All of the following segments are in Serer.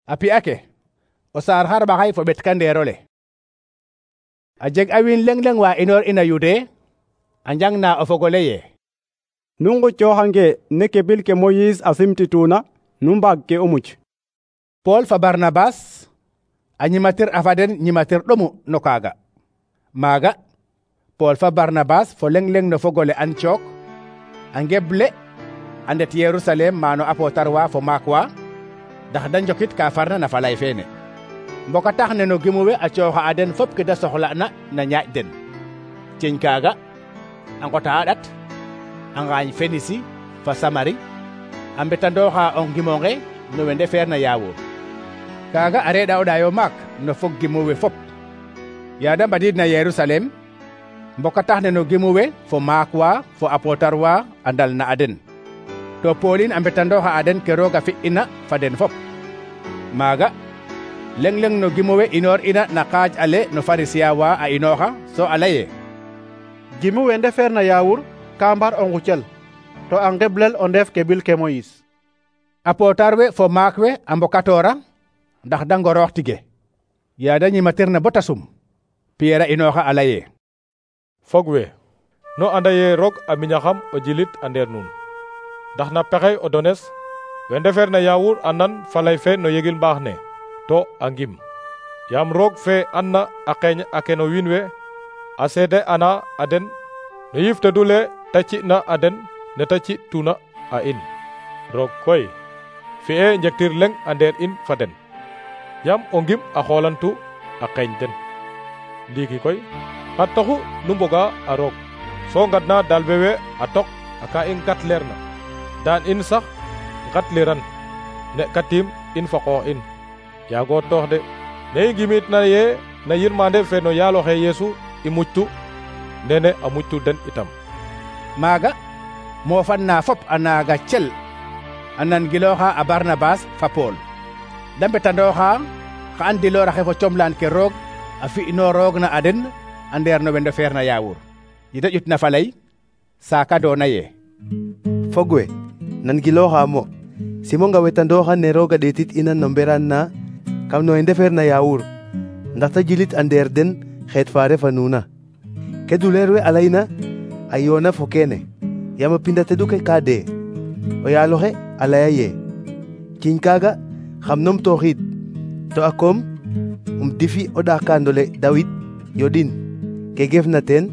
A pi'a ke o saar xarɓaxay fo ɓet kandeerole. A jeg a wiin leŋ leŋ wa inoor ina Yude a njangna o fog ole ye nu ngucooxange ne kebil ke Moyis a simtituna nu mbaag ke o muc. Pool fa Barnabas a ñimatir a fa den ñimatir ɗomu no kaaga. Maaga Pool fa Barnabas fo leŋ leŋ no fogole Antiyok a ngeble a ndet Yerusalem maano apotar wa fo maak wa ndax da njokit ka farna na falay feene. Mboka tax ne no gimu we a cooxa a den fop ke da soxla'na na ñaaƴ den. Ceñ kaaga a ngota a ɗat a ngaañ Fenisi fa Samari a mbetandooxa o ngimonge no we ndefeerna Yaawur. Kaaga a reeɗa o ɗaayo maak no fog gimu we fop. Yaa da mbadiidna Yerusalem mboka tax ne no gimu we fo maak wa fo apotar wa a ndalna a den. To Poolin a mbetandooxa a den ke Roog a fi'ina fa den fop. Maaga leŋ leŋ no gimu we inoor ina na kaaj ale no Farisiya wa a inooxa so a laye gimu we ndefeerna Yaawur ka mbar o ngucel to a ngeblel o ndef kebil ke Moyis. Apotar we fo maak we a mbokatoora ndax da ngoroox tige. Yaa da ñimatirna bota sum Piyeer a inooxa a laye fog we no anda ye roog a miñaxam o jilit a ndeer nuun ndax na pexey o dones we ndefeerna Yaawur a nan falay fe no yegil mbaax ne to a ngim yaam roog fe anna a qeeñ a ke no wiin we a seede ana a den no yiftedule ta ci'na a den ne ta ci'tuna a in. Roog koy fi'e njektir leŋ a ndeer in fa den yaam o ngim a xoolantu a qeeñ den. Ndiiki koy xar taxu nu mboga a roog so ngadna dalbe we a tok a ka i ngatleerna daan in sax ngatliran ne katim in fa qoox in. Yaago toox de ne i ngimitna ye na yirmande fe no yaaloxe Yeesu i muctu nene a muctu den itam. Maaga moofan na fop a naaga cel a nangilooxa a Barnabas fa Pool da mbetandooxa xa andilooraxe fo comlaan ke Roog a fi'inooroogna a den a ndeer no we ndefeerna Yaawur. Yita ƴutna falay saaka doona ye fog we nangilooxa mo simonga wetandooxa ne Roog a ɗeetit ina no mberaan na kam no we ndefeerna Yaawur ndax ta jilit a ndeer den xeet fa refa nuuna. Ke duleer we a layna a yoona fo keene yaam a pinda tedu ke ka dee. O yaaloxe a laya ye ciñ kaaga xam numtooxiid to a koom difi o ɗaakaandole Dawid yoɗin ke gefna teen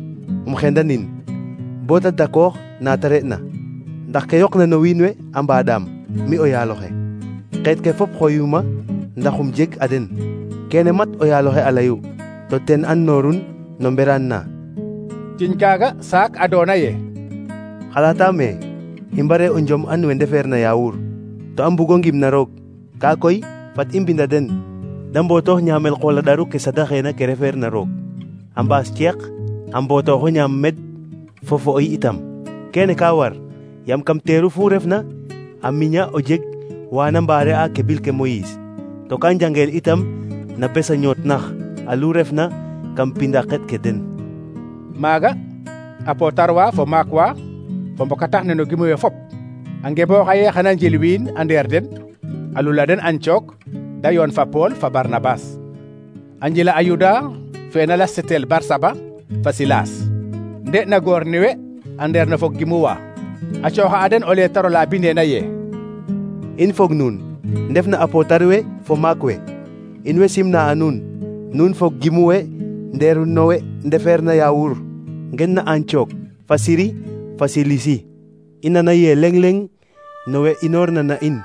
xendanin bo ta dakoox na ta re'na ndax ke yoqna no wiin we a mbaaɗaam mi o yaaloxe. Xeet ke fop xoyuma ndax jeg a den. Kene mat o yaaloxe a layu to ten andnoorun no mberaan na. Ciñ kaaga saak a doona ye xalaataame i mbare o njom an we ndefeerna Yaawur to a mbugo ngimna Roog. Kaa koy fat i mbinda den da mbootoox ñaamel qool a ɗaru ke sadaxeena ke refeerna Roog a mbaas ceeq a mbootooxo ñaam med fo fo'oy itam. Kene ka war yaam kam teeru fu refna a miña o jeg waana mbaare a kebil ke Moyis to ka njangeel itam na bes a ñootnax alu refna kam pinda xet ke den. Maaga apotar wa fo maak wa fo mboka tax ne no gimu we fop a ngebooxa ye xana njil wiin a ndeer den a lula den Antiyok da yoon fa Pool fa Barnabas a njila a Yuda fe na lastel Barsaba fa Silas nde na goor ni we a ndeer no fog gimu wa a cooxa a den o leetar ola bindeena ye in fog nuun ndefna apotar we fo maak we in way simna a nuun nuun fog gimu we ndeeru no we ndefeerna Yaawur ngen na Antiyok fa Siri fa Silisi i nana ye leŋ leŋ no we inoorna na in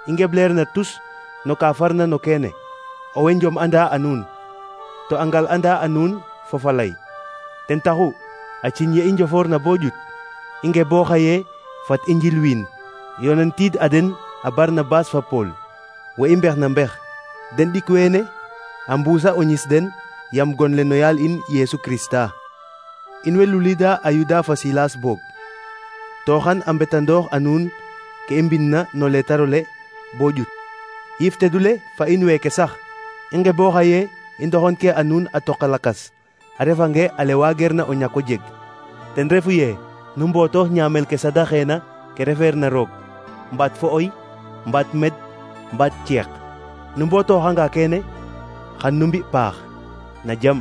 i ngebleerna tus no ka farna no keene o we njom anda a nuun to a ngal anda a nuun fo falay. Ten taxu a ciñ ye i njofoorna bo ƴut i ngebooxa ye fat i njil wiin yonantiid a den a Barnabas fa Pool we i mbexna mbex den ɗik weene a mbuusa o ñis den yam gonle no yaal in Yeesu Krista. In way lulida a Yuda fa Silas boog to xan a mbetandoox a nuun ke i mbinna no leetarole bo ƴut. Yiftedule fa in weeke sax i ngebooxa ye i ndoxon ke a nuun a toqa lakas a refange ale waageerna o ñako jeg. Ten refu ye nu mbootoox ñaamel ke sadaxeena ke refeerna Roog mbaat fo'oy mbaat med mbaat ceeq nu mbootoxanga kene xan nu mbi paax na jam.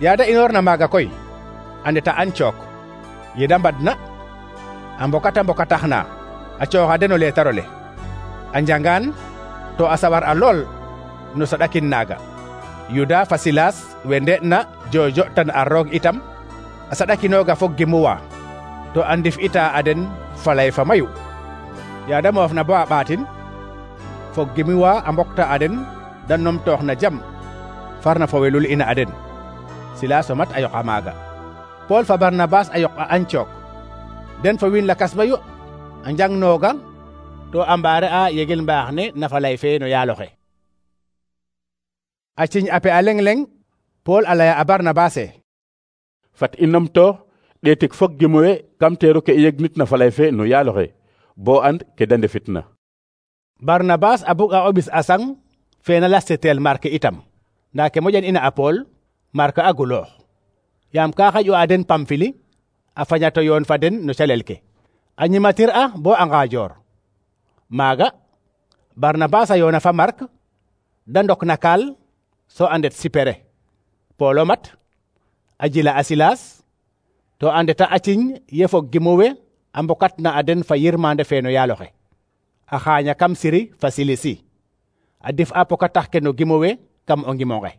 Yaada inoorna maaga koy a ndeta Antiyok. Yeda mbadna a mbokataxna a cooxa den o leetar ole a njangaan to a sawar a lool no saɗakin naaga. Yuda fa Silas we nde'na jojo tan a roog itam a saɗakinooga fo gimuwa to a ndif ita a den falay fa mayu. Yaada moofna bo a ɓaatin fo gimuwa a mbokta a den da numtoox na jam farna fo welul ina a den. Silas o mat a yoqa maaga. Pool fa Barnabas a yoq a Antiyok. Den fo wiin lakas mayu a njangnooga to a mbaare a yegel mbaax ne na falay fe no yaaloxe. A ciñ ape a leng-leng Pool a laya a Barnabas e: fat i numtoox ɗeetik fok gimuwe kam teeru ke i yegnit na falay fe no yaaloxe bo and ke da ndefitna. Barnabas a bug a o ɓis a sang fe na lasteteel Mark itam, nda ke moƴan ina a Pool Mark a guloox. Yaam ka xaƴu a den Pamfili a fañato yoon fa den no calel ke. A ñimatir a bo a ngaajoor. Maaga Barnabas a yoona fa Mark da ndok na kaal so a ndet Sipere. Pool o mat a jila a Silas to a ndeta a ciñ ye fo gimuwe a mbokatna a den fa yirmande fe no yaaloxe. A xaaña kam Siri fa Silisi a dif a pokatax ke no gimuwe kam o ngimonge.